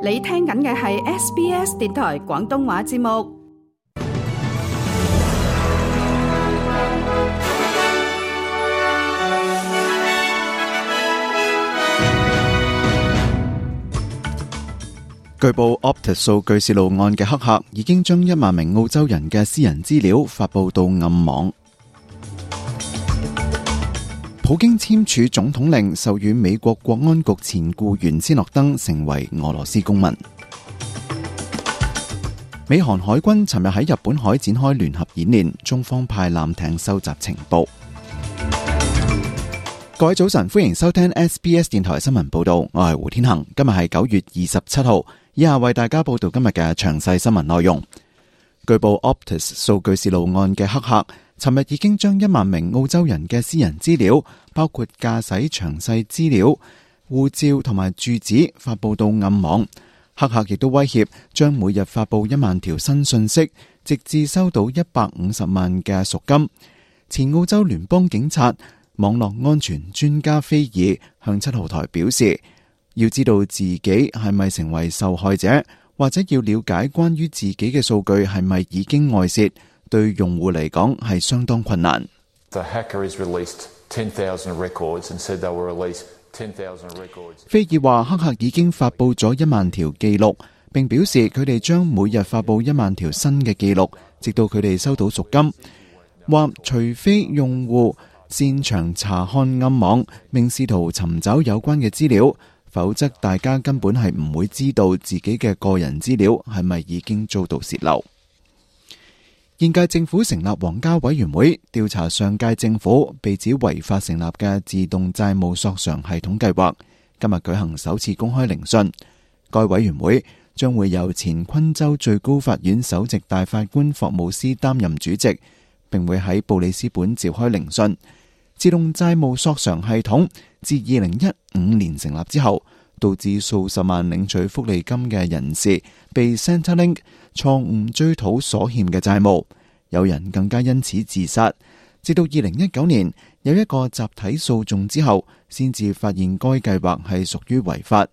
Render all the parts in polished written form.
你聽緊嘅係 SBS 電台廣東話節目。據報 Optus 數據洩露案嘅黑客已經將1萬名澳洲人嘅私人資料發布到暗網。普京簽署總統令，授予美國國安局前僱員斯諾登成為俄羅斯公民。美韓海軍尋日喺日本海展開聯合演練，中方派艦艇收集情報。各位早晨，歡迎收聽 SBS 電台新聞報道，我係胡天恒。今日係9月27號，以下為大家報道今日嘅詳細新聞內容。據報 Optus 數據洩露案嘅黑客尋日已經將1萬名澳洲人嘅私人資料，包括駕駛詳細資料、護照同埋住址發布到暗網。黑客亦都威脅將每日發布1萬條新信息，直至收到150萬嘅贖金。前澳洲聯邦警察網絡安全專家菲爾向7號台表示，要知道自己係咪成為受害者，或者要了解關於自己嘅數據係咪已經外泄，對用戶嚟講係相當困難。菲爾話黑客已經發布咗1萬條記錄，並表示佢哋將每日發布1萬條新嘅記錄，直到佢哋收到贖金。話除非用戶擅長查看暗網，並試圖尋找有關嘅資料，否則大家根本係唔會知道自己嘅個人資料係咪已經遭到洩漏。現屆政府成立皇家委員會調查上屆政府被指違法成立嘅自動債務索償系統計劃，今日舉行首次公開聆訊。該委員會將會由前昆州最高法院首席大法官霍姆斯擔任主席，並會喺布里斯本召開聆訊。自動債務索償系統自2015年成立之後，導致數十萬領取福利金嘅人士被 Centrelink 錯誤追討所欠嘅債務，有人更加因此自殺。直到2019年有一個集體訴訟之後，先至發現該計劃係屬於違法。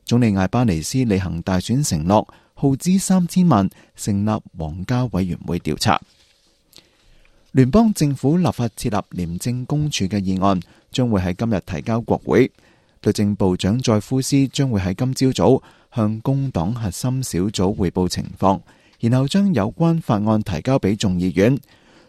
總理艾巴尼斯履行大選承諾，耗資3000萬成立皇家委員會調查。聯邦政府立法設立廉政公署嘅議案將會喺今日提交國會。律政部長載夫斯將會喺今朝早向工黨核心小組匯報情況，然後將有關法案提交俾眾議院。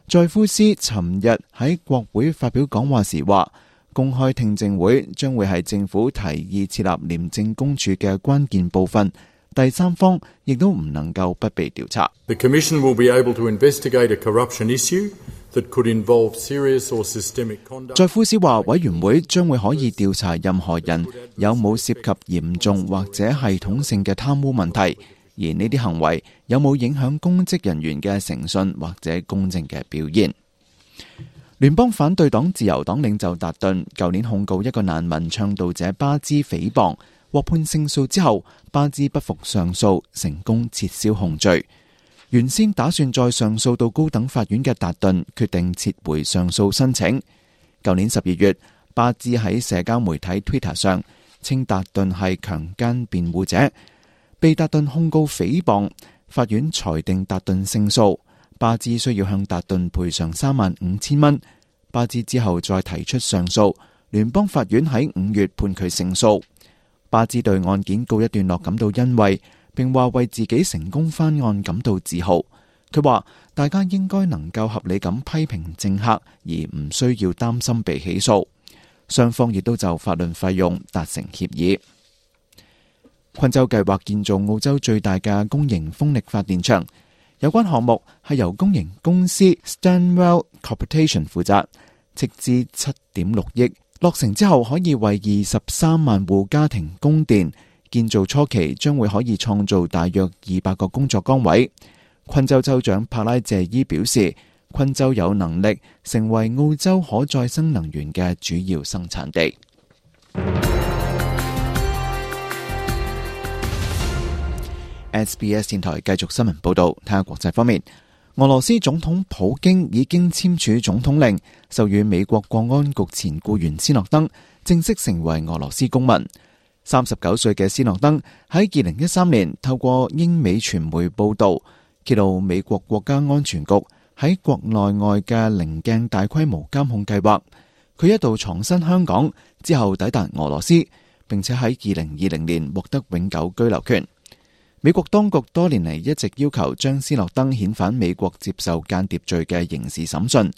載夫斯尋日喺國會發表講話時話，公開聽證會將會係政府提議設立廉政公署嘅關鍵部分，第三方亦都唔能夠不被調查。The Commission will be able to investigate a corruption issue that could involve serious or systemic conduct. 載夫斯話，委員會將會可以調查任何人有冇涉及嚴重或者系統性嘅貪污問題，而呢啲行為有冇影響公職人員嘅誠信或者公正嘅表現。聯邦反對黨自由黨領袖達頓舊年控告一個難民倡導者巴茲誹謗，獲判勝訴之後，巴茲不服上訴，成功撤銷控罪。原先打算再上訴到高等法院嘅達頓決定撤回上訴申請。舊年12月，巴茲喺社交媒體 Twitter 上稱達頓係強姦辯護者，被達頓控告誹謗，法院裁定達頓勝訴。巴茲需要向達頓賠償35000蚊。巴茲之後再提出上訴，聯邦法院喺5月判佢勝訴。巴茲對案件告一段落感到欣慰，並話為自己成功翻案感到自豪。佢話大家應該能夠合理咁批評政客，而唔需要擔心被起訴。雙方亦都就法律費用達成協議。昆州計劃建造澳洲最大嘅公營風力發電場，有關項目係由公營公司 Stanwell Corporation 負責，斥資7.6億，落成之後可以為23萬戶家庭供電。建造初期將會可以創造大約200個工作崗位。昆州州長帕拉謝伊表示，昆州有能力成為澳洲可再生能源嘅主要生產地。SBS 電台繼續新聞報道，睇下國際方面。俄羅斯總統普京已經簽署總統令，授予美國國安局前僱員斯諾登正式成為俄羅斯公民。39歲嘅斯諾登喺2013年透過英美傳媒報道，揭露美國國家安全局喺國內外嘅稜鏡大規模監控計劃。佢一度藏身香港，之後抵達俄羅斯，並且喺2020年獲得永久居留權。美國當局多年嚟一直要求將斯諾登遣返美國接受間諜罪嘅刑事審訊，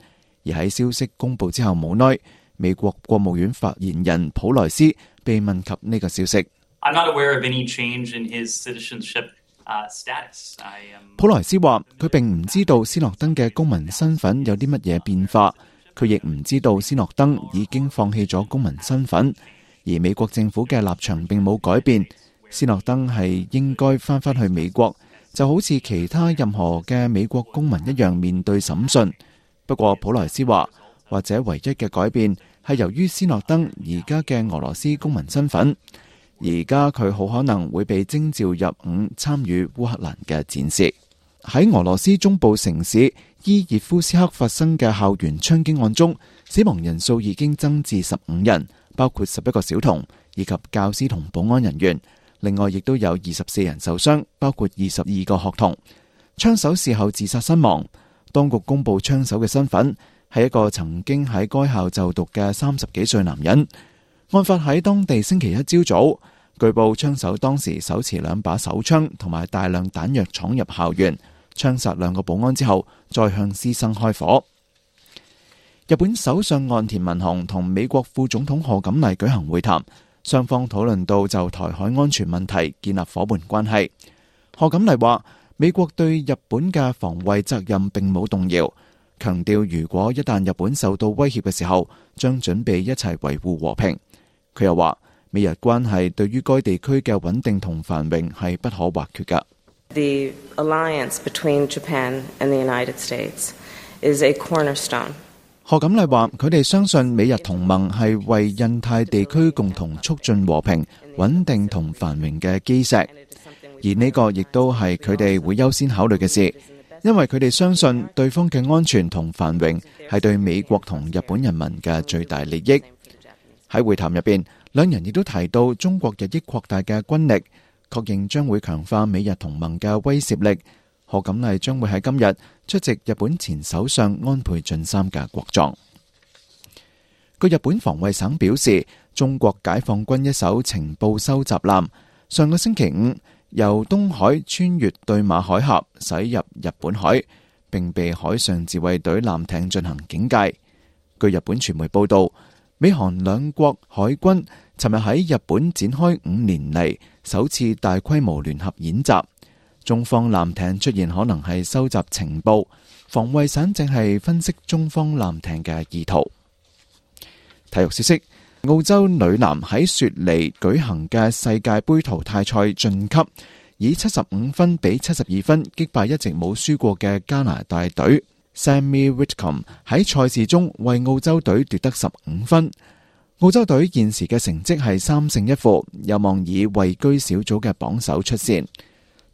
而喺消息公布之後冇耐，美國國務院發言人普萊斯被問及呢個消息。普萊斯話：佢並唔知道斯諾登嘅公民身份有啲乜嘢變化，佢亦唔知道斯諾登已經放棄咗公民身份，而美國政府嘅立場並冇改變。斯諾登係應該翻返去美國，就好似其他任何嘅美國公民一樣面對審訊。不過普萊斯話，或者唯一嘅改變係由於斯諾登而家嘅俄羅斯公民身份，而家佢好可能會被徵召入伍參與烏克蘭嘅戰事。喺俄羅斯中部城市伊熱夫斯克發生嘅校園槍擊案中，死亡人數已經增至15人，包括11個小童以及教師同保安人員。另外，亦都有24人受傷，包括22個學童。槍手事後自殺身亡。當局公布槍手嘅身份係一個曾經喺該校就讀嘅30幾歲男人。案發喺當地星期一朝早，據報槍手當時手持2把手槍同埋大量彈藥闖入校園，槍殺2個保安之後，再向師生開火。日本首相岸田文雄同美國副總統賀錦麗舉行會談。雙方討論到就台海安全問題建立夥伴關係。賀錦麗話：美國對日本嘅防衛責任並冇動搖，強調如果一旦日本受到威脅嘅時候，將準備一齊維護和平。佢又話：美日關係對於該地區嘅穩定同繁榮係不可或缺㗎。The alliance between Japan and the United States is a cornerstone. 賀錦麗話：佢哋相信美日同盟係為印太地區共同促進和平、穩定同繁榮嘅基石，而呢個亦都係佢哋會優先考慮嘅事，因為佢哋相信對方嘅安全同繁榮係對美國同日本人民嘅最大利益。喺會談入邊，兩人亦都提到中國日益擴大嘅軍力，確認將會強化美日同盟嘅威懾力。賀錦麗將會喺今日出席日本前首相安倍晉三嘅國葬。據日本防衛省表示，中國解放軍一艘情報收集艦上個星期五由東海穿越對馬海峽駛入日本海，並被海上自衛隊艦艇進行警戒。據日本傳媒報道，美韓兩國海軍尋日喺日本展開5年嚟首次大規模聯合演習。中方艦艇出現可能係收集情報，防衛省正係分析中方艦艇嘅意圖。體育消息：澳洲女籃喺雪梨舉行嘅世界盃淘汰賽晉級，以75分比72分擊敗一直冇輸過嘅加拿大隊。Sammy Whitcomb 喺賽事中為澳洲隊奪得15分。澳洲隊現時嘅成績係3勝1負，有望以位居小組嘅榜首出線。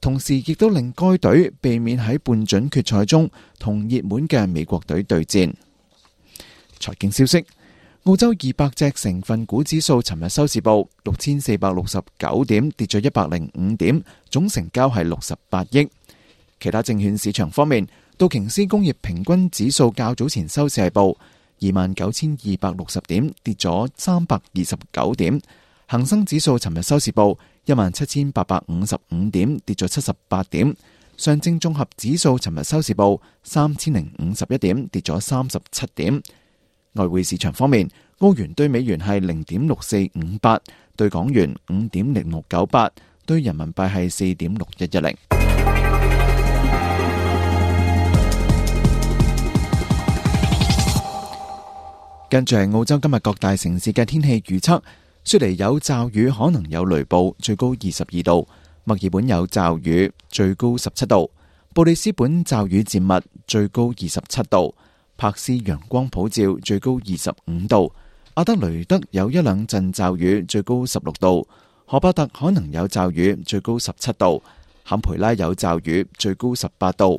同時亦都令該隊避免喺半準決賽中同熱門嘅美國隊對戰。財經消息：澳洲200隻成分股指數尋日收市報6469點，跌咗105點，總成交係68億。其他證券市場方面，道瓊斯工業平均指數較早前收市係報29,260點，跌咗329點。恒生指數尋日收市報17,855點，跌咗78點。上證綜合指數尋日收市報3,051點，跌咗37點。外匯市場方面，澳元對美元係0.6458，對港元5.0698，對人民幣係4.6110。跟住係澳洲今日各大城市嘅天氣預測。雪梨有驟雨，可能有雷暴，最高22度；墨爾本有驟雨，最高17度；布里斯本驟雨漸密，最高27度；柏斯陽光普照，最高25度；阿德雷德有1兩陣驟雨，最高16度；荷巴特可能有驟雨，最高17度；坎培拉有驟雨，最高18度；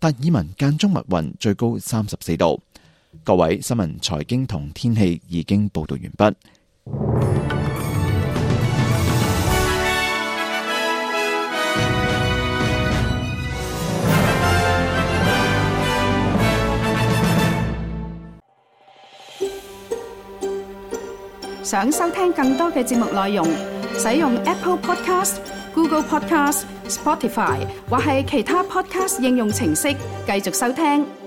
達爾文間中密雲，最高34度。各位，新聞、財經同天氣已經報道完畢。想收聽更多嘅節目內容，使用 Apple Podcast、Google Podcast、Spotify 或係其他 Podcast 應用程式繼續收聽。